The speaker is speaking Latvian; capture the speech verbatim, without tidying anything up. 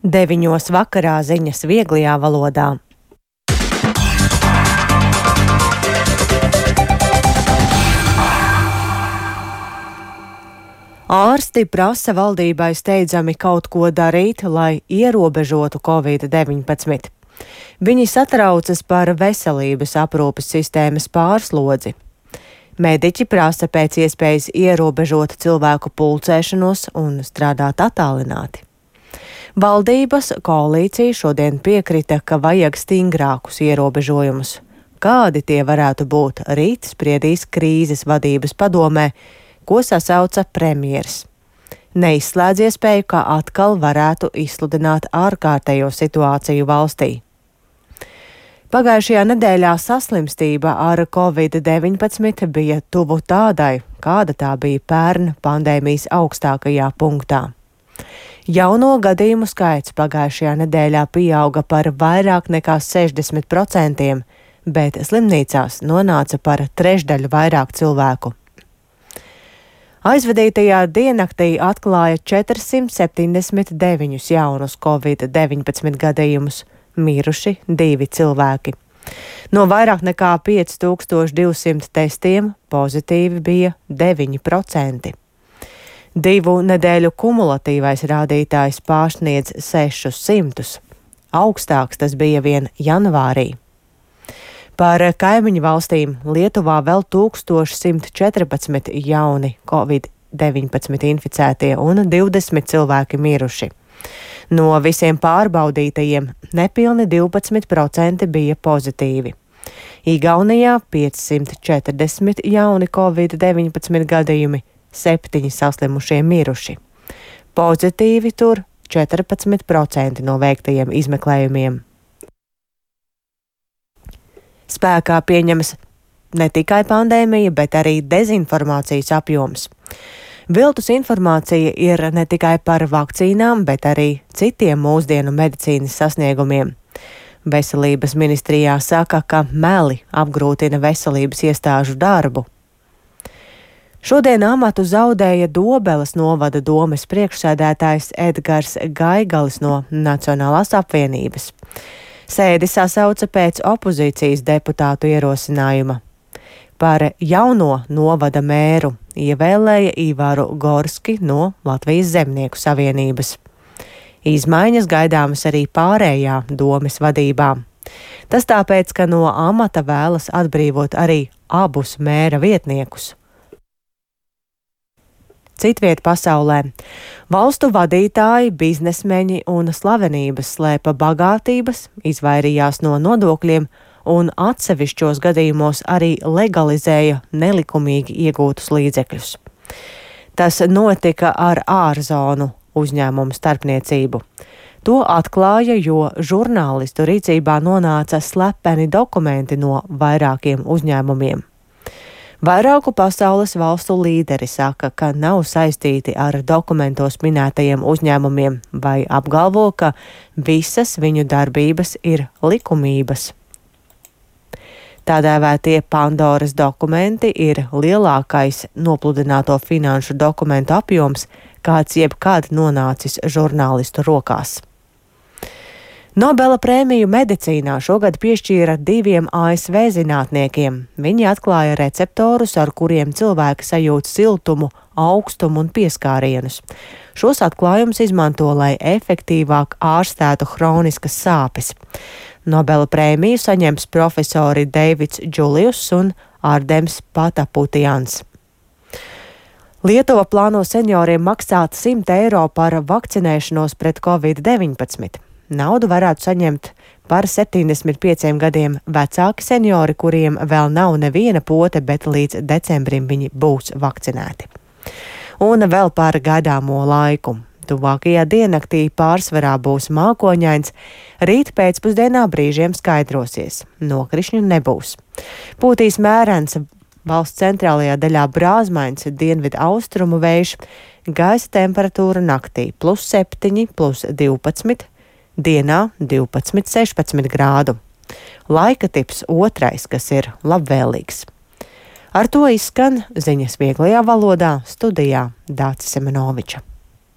Deviņos vakarā ziņas vieglajā valodā. Ārsti prasa valdībai steidzami kaut ko darīt, lai ierobežotu covid deviņpadsmit. Viņi satraucas par veselības aprūpes sistēmas pārslodzi. Mediķi prasa pēc iespējas ierobežot cilvēku pulcēšanos un strādāt attālināti. Valdības koalīcija šodien piekrita, ka vajag stingrākus ierobežojumus. Kādi tie varētu būt, rīt spriedīs krīzes vadības padomē, ko sasauca premjers. Neizslēdz iespēju, ka atkal varētu izsludināt ārkārtējo situāciju valstī. Pagājušajā nedēļā saslimstība ar covid deviņpadsmit bija tuvu tādai, kāda tā bija pērn pandēmijas augstākajā punktā. Jauno gadījumu skaits pagājušajā nedēļā pieauga par vairāk nekā sešdesmit procentiem, bet slimnīcās nonāca par trešdaļu vairāk cilvēku. Aizvadītajā diennaktī atklāja četrsimt septiņdesmit deviņus jaunus covid deviņpadsmit gadījumus, miruši divi cilvēki. No vairāk nekā pieci tūkstoši divsimt testiem pozitīvi bija deviņi procenti. Divu nedēļu kumulatīvais rādītājs pārsniedz sešus simtus. Augstāks tas bija vien janvārī. Par kaimiņu valstīm Lietuvā vēl tūkstoš simt četrpadsmit jauni covid deviņpadsmit inficētie un divdesmit cilvēki miruši. No visiem pārbaudītajiem nepilni divpadsmit procenti bija pozitīvi. Igaunijā piecsimt četrdesmit jauni covid deviņpadsmit gadījumi, septiņi saslimušie miruši. Pozitīvi tur četrpadsmit procenti no veiktajiem izmeklējumiem. Spēkā pieņemas ne tikai pandēmija, bet arī dezinformācijas apjoms. Viltus informācija ir ne tikai par vakcīnām, bet arī citiem mūsdienu medicīnas sasniegumiem. Veselības ministrijā saka, ka meli apgrūtina veselības iestāžu darbu. Šodien amatu zaudēja Dobeles novada domes priekšsēdētājs Edgars Gaigalis no Nacionālās apvienības. Sēdi sasauca pēc opozīcijas deputātu ierosinājuma. Par jauno novada mēru ievēlēja Ivaru Gorski no Latvijas Zemnieku savienības. Izmaiņas gaidāmas arī pārējā domes vadībā. Tas tāpēc, ka no amata vēlas atbrīvot arī abus mēra vietniekus. Citviet pasaulē valstu vadītāji, biznesmeņi un slavenības slēpa bagātības, izvairījās no nodokļiem un atsevišķos gadījumos arī legalizēja nelikumīgi iegūtus līdzekļus. Tas notika ar ārzonu uzņēmumu starpniecību. To atklāja, jo žurnālistu rīcībā nonāca slepeni dokumenti no vairākiem uzņēmumiem. Vairāku pasaules valstu līderi saka, ka nav saistīti ar dokumentos minētajiem uzņēmumiem vai apgalvo, ka visas viņu darbības ir likumības. Tādēvētie Pandoras dokumenti ir lielākais nopludināto finanšu dokumentu apjoms, kāds jebkad nonācis žurnālistu rokās. Nobela prēmiju medicīnā šogad piešķīra diviem A S V zinātniekiem. Viņi atklāja receptorus, ar kuriem cilvēki sajūt siltumu, augstumu un pieskārienus. Šos atklājumus izmanto, lai efektīvāk ārstētu hroniskas sāpes. Nobela prēmiju saņems profesori Deivids Džulijus un Ardems Pataputians. Lietuva plāno senioriem maksāt simt eiro par vakcinēšanos pret covid deviņpadsmit. Naudu varētu saņemt par septiņdesmit pieciem gadiem vecāki seniori, kuriem vēl nav neviena pote, bet līdz decembrim viņi būs vakcinēti. Un vēl par gaidāmo laiku. Tuvākajā diennaktī pārsvarā būs mākoņains, rīt pēcpusdienā brīžiem skaidrosies. Nokrišņu nebūs. Pūtīs mērens, valsts centrālajā daļā brāzmains dienvidu austrumu vējš, gaisa temperatūra naktī plus septiņi, plus divpadsmit, dienā divpadsmit, sešpadsmit grādu. Laika tips otrais, kas ir labvēlīgs. Ar to izskan ziņas vieglajā valodā, studijā Dācis Semenoviča.